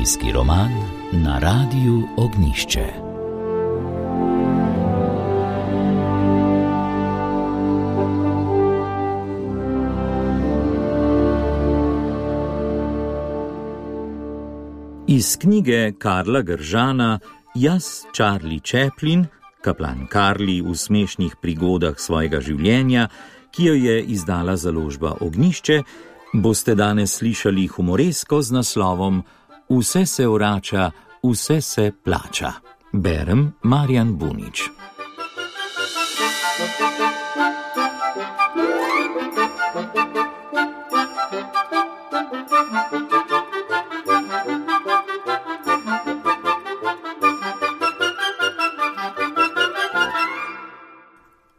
Zgodovinski roman na Radiu Ognjišče. Iz knjige Karla Gržana Jaz, Charlie Chaplin, kaplan Karli v smešnih prigodah svojega življenja, ki jo je izdala založba Ognjišče, boste danes slišali humoresko z naslovom Vse se vrača, vse se plača. Berem Marjan Bunič.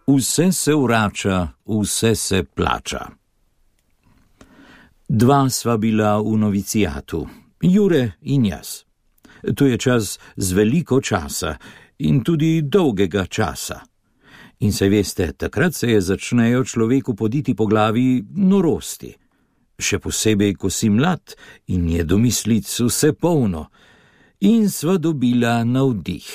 Vse se vrača, vse se plača. Dva sva bila v novicijatu, Jure in jaz. To je čas z veliko časa in tudi dolgega časa. In se veste, takrat se začnejo človeku poditi po glavi norosti. Še posebej, ko si mlad in je domislic vse polno. In sva dobila navdih.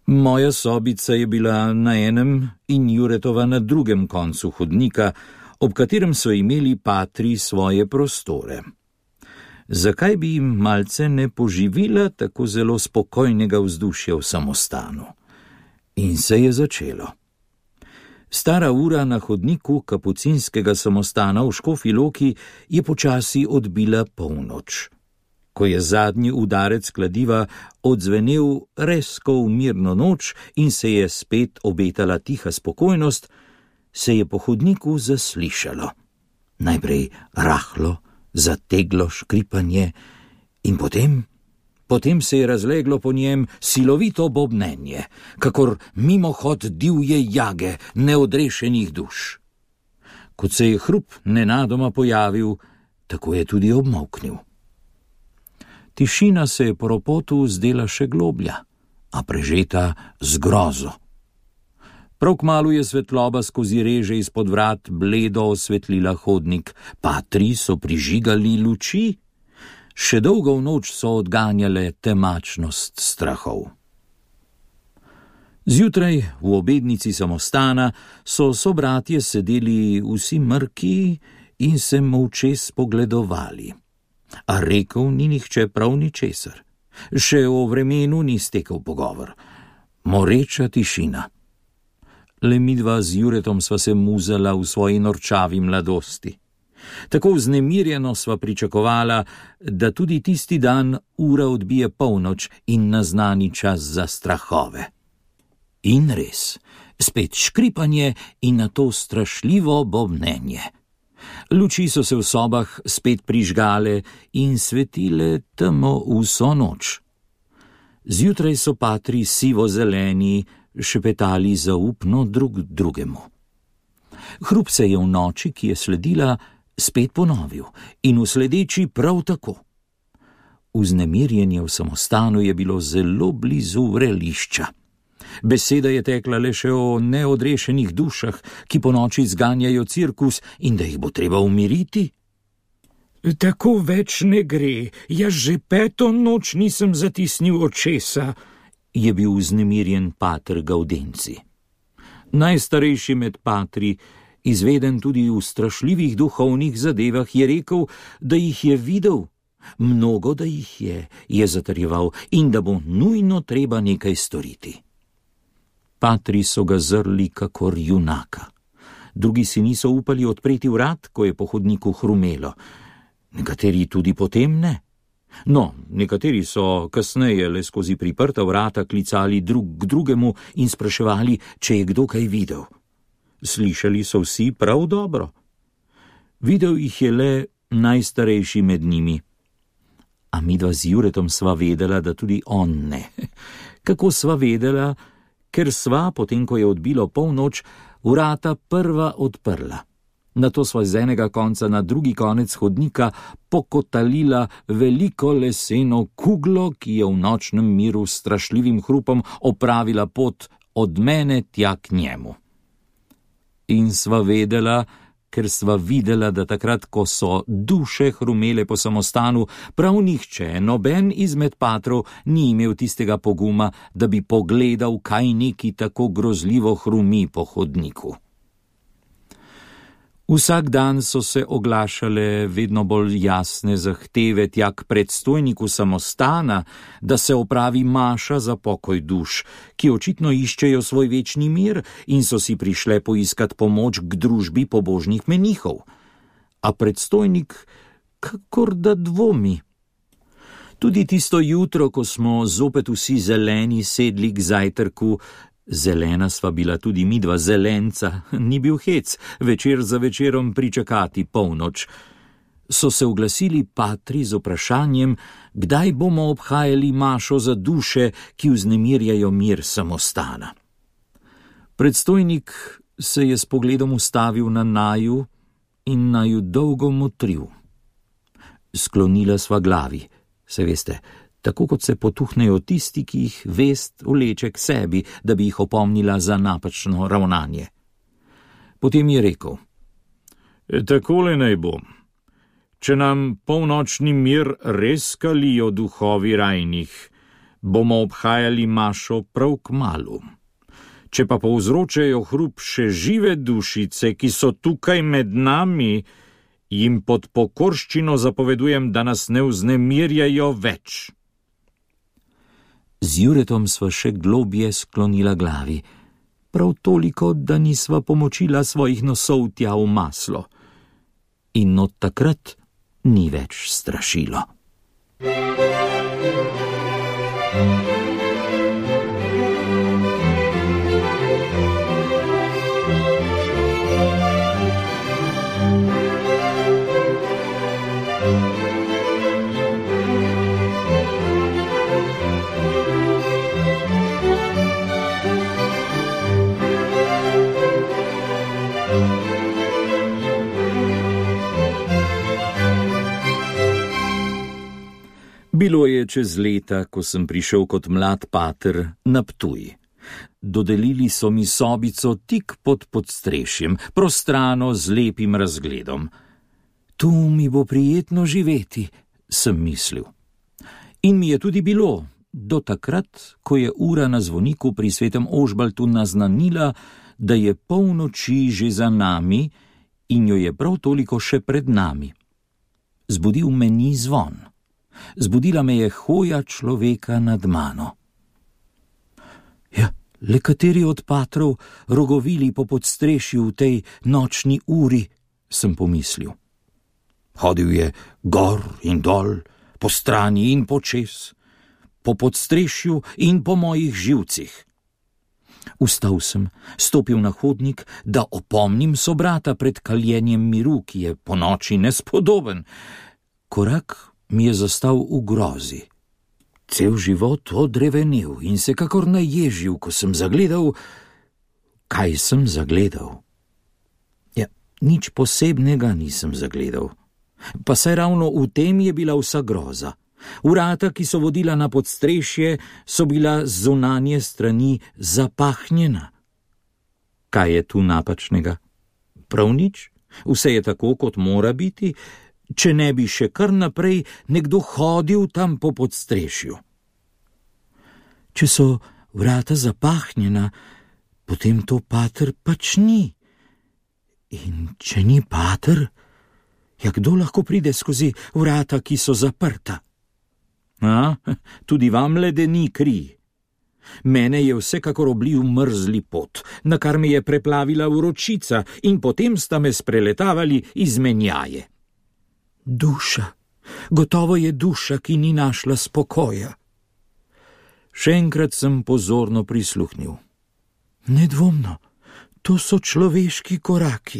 Moja sobica je bila na enem in Juretova na drugem koncu hodnika, ob katerem so imeli patri svoje prostore. Zakaj bi jim malce ne poživila tako zelo spokojnega vzdušja v samostanu? In se je začelo. Stara ura na hodniku kapucinskega samostana v Škofji Loki je počasi odbila polnoč. Ko je zadnji udarec kladiva odzvenel rezko v mirno noč in se je spet obetala tiha spokojnost, se je po hodniku zaslišalo. Najprej rahlo, zateglo škripanje in potem se je razleglo po njem silovito bobnenje, kakor mimohod divje jage neodrešenih duš. Kot se je hrup nenadoma pojavil, tako je tudi obmolknil. Tišina se je po ropotu zdela še globlja, a prežeta z grozo. Prav kmalu je svetloba skozi reže izpod vrat bledo osvetlila hodnik, patri so prižigali luči, še dolgo v noč so odganjale temačnost strahov. Zjutraj v obednici samostana so sobratje sedeli vsi mrki in se molče spogledovali. A rekel ni nihče prav ničesar. Še o vremenu ni stekel pogovor. Moreča tišina. Le midva z Juretom sva se muzala v svoji norčavi mladosti. Tako vznemirjeno sva pričakovala, da tudi tisti dan ura odbije polnoč in naznani čas za strahove. In res, spet škripanje in nato strašljivo bobnenje. Luči so se v sobah spet prižgale in svetile temo vso noč. Zjutraj so patri sivo-zeleni šepetali zaupno drug drugemu. Hrup se je v noči, ki je sledila, spet ponovil in v sledeči prav tako. Vznemirjenje v samostanu je bilo zelo blizu vrelišča. Beseda je tekla le še o neodrešenih dušah, ki po noči zganjajo cirkus in da jih bo treba umiriti. Tako več ne gre, jaz že 5. noč nisem zatisnil očesa, je bil vznemirjen pater Gaudenci. Najstarejši med patri, izveden tudi v strašljivih duhovnih zadevah, je rekel, da jih je videl. Mnogo, da jih je zatrjeval in da bo nujno treba nekaj storiti. Patri so ga zrli kakor junaka. Drugi si niso upali odpreti vrat, ko je po hodniku hrumelo. Nekateri tudi potem ne. No, nekateri so kasneje le skozi priprta vrata klicali drug k drugemu in spraševali, če je kdo kaj videl. Slišali so vsi prav dobro. Videl jih je le najstarejši med njimi. A midva z Juretom sva vedela, da tudi on ne. Kako sva vedela? Ker sva, potem ko je odbilo polnoč, vrata prva odprla. Nato sva z enega konca na drugi konec hodnika pokotalila veliko leseno kuglo, ki je v nočnem miru s strašljivim hrupom opravila pot od mene tja k njemu. In sva vedela, ker sva videla, da takrat, ko so duše hrumele po samostanu, prav nihče, noben izmed patrov ni imel tistega poguma, da bi pogledal, kaj neki tako grozljivo hrumi po hodniku. Vsak dan so se oglašale vedno bolj jasne zahteve tja k predstojniku samostana, da se opravi maša za pokoj duš, ki očitno iščejo svoj večni mir in so si prišle poiskat pomoč k družbi pobožnih menihov. A predstojnik kakor da dvomi. Tudi tisto jutro, ko smo zopet vsi zeleni sedli k zajtrku, zelena sva bila tudi midva zelenca, ni bil hec, večer za večerom pričakati polnoč. So se oglasili patri z vprašanjem, kdaj bomo obhajali mašo za duše, ki vznemirjajo mir samostana. Predstojnik se je s pogledom ustavil na naju in naju dolgo motril. Sklonila sva glavi, se veste, tako kot se potuhnejo tisti, ki jih vest vleče k sebi, da bi jih opomnila za napačno ravnanje. Potem je rekel: Takole naj bo. Če nam polnočni mir res kalijo duhovi rajnih, bomo obhajali mašo prav kmalu. Če pa povzročajo hrup še žive dušice, ki so tukaj med nami, jim pod pokorščino zapovedujem, da nas ne vznemirjajo več. Z Juretom sva še globje sklonila glavi, prav toliko, da nisva pomočila svojih nosov tja v maslo. In od takrat ni več strašilo. Bilo je čez leta, ko sem prišel kot mlad pater na Ptuj. Dodelili so mi sobico tik pod podstrešjem, prostrano z lepim razgledom. Tu mi bo prijetno živeti, sem mislil. In mi je tudi bilo, do takrat, ko je ura na zvoniku pri svetem Ožbaltu naznanila, da je polnoči že za nami in jo je prav toliko še pred nami. Zbudil me ni zvon. Zbudila me je hoja človeka nad mano. Ja, le kateri od patrov rogovili po podstrešju v tej nočni uri, sem pomislil. Hodil je gor in dol, po strani in počez, po podstrešju in po mojih živcih. Vstal sem, stopil na hodnik, da opomnim sobrata pred kaljenjem miru, ki je po noči nespodoben. Korak mi je zastal v grozi. Cel život odrevenel in se kakor naježil, ko sem zagledal, kaj sem zagledal. Ja, nič posebnega nisem zagledal. Pa saj ravno v tem je bila vsa groza. Vrata, ki so vodila na podstrešje, so bila z zunanje strani zapahnjena. Kaj je tu napačnega? Prav nič. Vse je tako, kot mora biti, če ne bi še kar naprej nekdo hodil tam po podstrešju. Če so vrata zapahnjena, potem to pater pač ni. In če ni pater, ja, kdo lahko pride skozi vrata, ki so zaprta? Tudi vam ledeni kri. Mene je vsekakor oblil mrzli pot, na kar me je preplavila vročica in potem sta me spreletavali izmenjaje. Duša, gotovo je duša, ki ni našla spokoja. Še enkrat sem pozorno prisluhnil. Nedvomno, to so človeški koraki.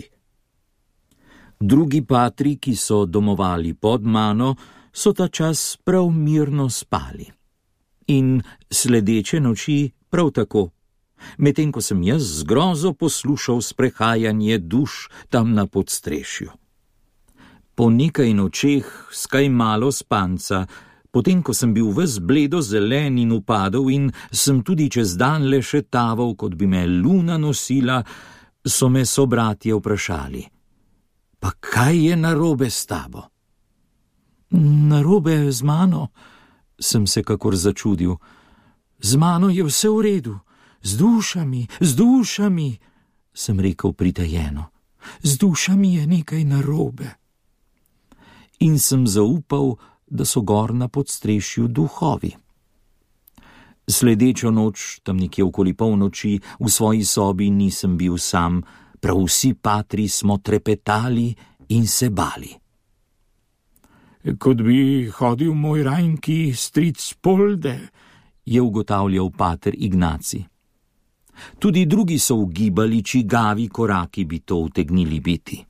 Drugi patri, ki so domovali pod mano, so ta čas prav mirno spali. In sledeče noči prav tako, medtem ko sem jaz z grozo poslušal sprehajanje duš tam na podstrešju. Po nekaj nočeh, s kaj malo spanca, potem ko sem bil ves bledo zelen in upadel in sem tudi čez dan le še taval, kot bi me luna nosila, so me sobratje vprašali. Pa kaj je narobe s tabo? Narobe z mano, sem se kakor začudil. Z mano je vse v redu, z dušami, sem rekel pritajeno. Z dušami je nekaj narobe. In sem zaupal, da so gor na podstrešju duhovi. Sledečo noč, tam nekje okoli polnoči, v svoji sobi nisem bil sam, prav vsi patri smo trepetali in se bali. Kot bi hodil moj rajnki stric Polde, je ugotavljal pater Ignaci. Tudi drugi so ugibali, čigavi koraki bi to utegnili biti.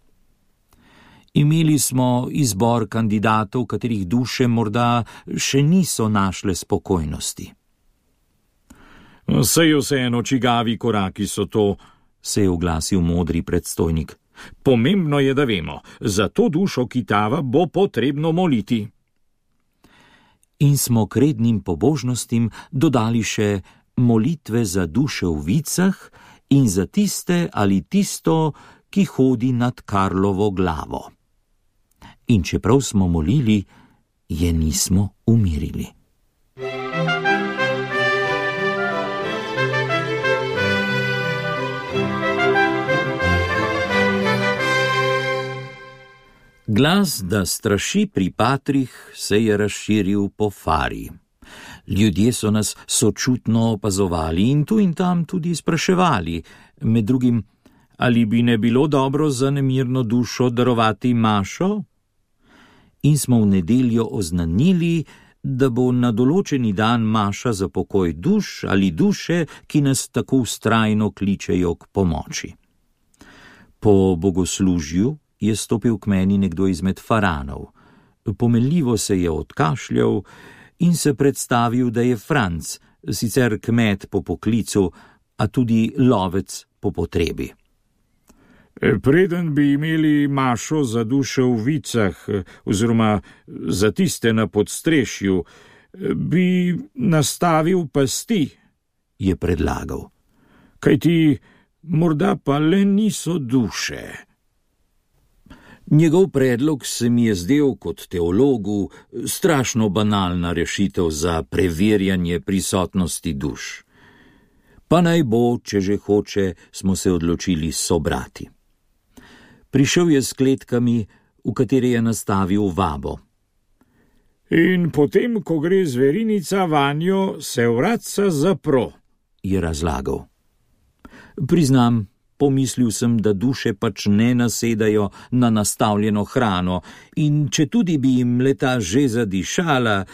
Imeli smo izbor kandidatov, katerih duše morda še niso našle spokojnosti. Saj vseeno, čigavi koraki so to, se je oglasil modri predstojnik. Pomembno je, da vemo, za to dušo kitava bo potrebno moliti. In smo k rednim pobožnostim dodali še molitve za duše v vicah in za tiste ali tisto, ki hodi nad Karlovo glavo. In čeprav smo molili, je nismo umirili. Glas, da straši pri patrih, se je razširil po Fari. Ljudje so nas sočutno opazovali in tu in tam tudi spraševali, med drugim, ali bi ne bilo dobro za nemirno dušo darovati mašo? In smo v nedeljo oznanili, da bo na določeni dan maša za pokoj duš ali duše, ki nas tako vztrajno kličejo k pomoči. Po bogoslužju je stopil k meni nekdo izmed faranov. Pomenljivo se je odkašljal in se predstavil, da je Franc, sicer kmet po poklicu, a tudi lovec po potrebi. Preden bi imeli mašo za duše v vicah, oziroma za tiste na podstrešju, bi nastavil pasti, je predlagal. Kajti morda pa le niso duše. Njegov predlog se mi je zdel kot teologu strašno banalna rešitev za preverjanje prisotnosti duš. Pa naj bo, če že hoče, smo se odločili sobrati. Prišel je s kletkami, v katere je nastavil vabo. In potem, ko gre zverinica vanjo, se vratca zapro, je razlagal. Priznam, pomislil sem, da duše pač ne nasedajo na nastavljeno hrano in če tudi bi jim leta že zadišala,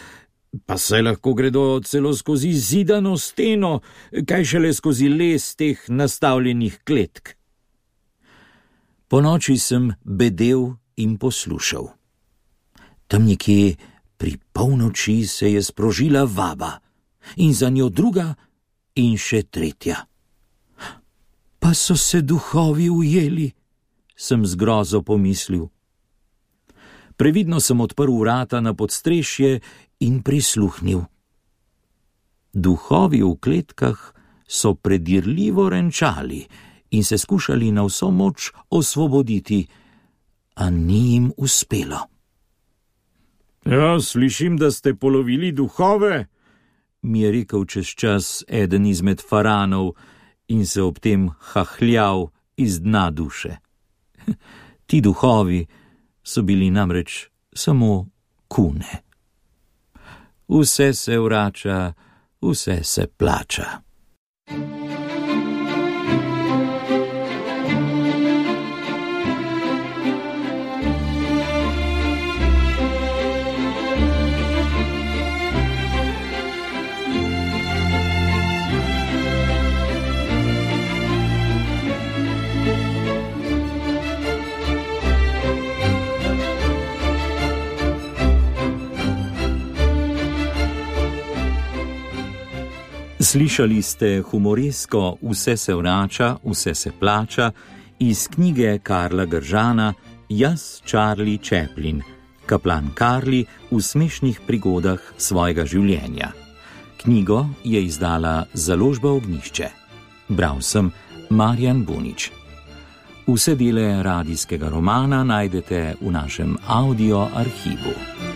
pa se lahko gredo celo skozi zidano steno, kaj šele skozi les teh nastavljenih kletk. Po noči sem bedel in poslušal. Tam nekje pri polnoči se je sprožila vaba in za njo druga in še tretja. Pa so se duhovi ujeli, sem z grozo pomislil. Previdno sem odprl vrata na podstrešje in prisluhnil. Duhovi v kletkah so predirljivo renčali in se skušali na vso moč osvoboditi, a ni jim uspelo. Ja, slišim, da ste polovili duhove, mi je rekel čez čas eden izmed faranov in se ob tem hahljal iz dna duše. Ti duhovi so bili namreč samo kune. Vse se vrača, vse se plača. Slišali ste humoresko Vse se vrača, vse se plača iz knjige Karla Gržana Jaz, Charlie Chaplin, kaplan Karli v smešnih prigodah svojega življenja. Knjigo je izdala Založba Ognjišče. Bral sem Marjan Bunič. Vse dele radijskega romana najdete v našem audio arhivu.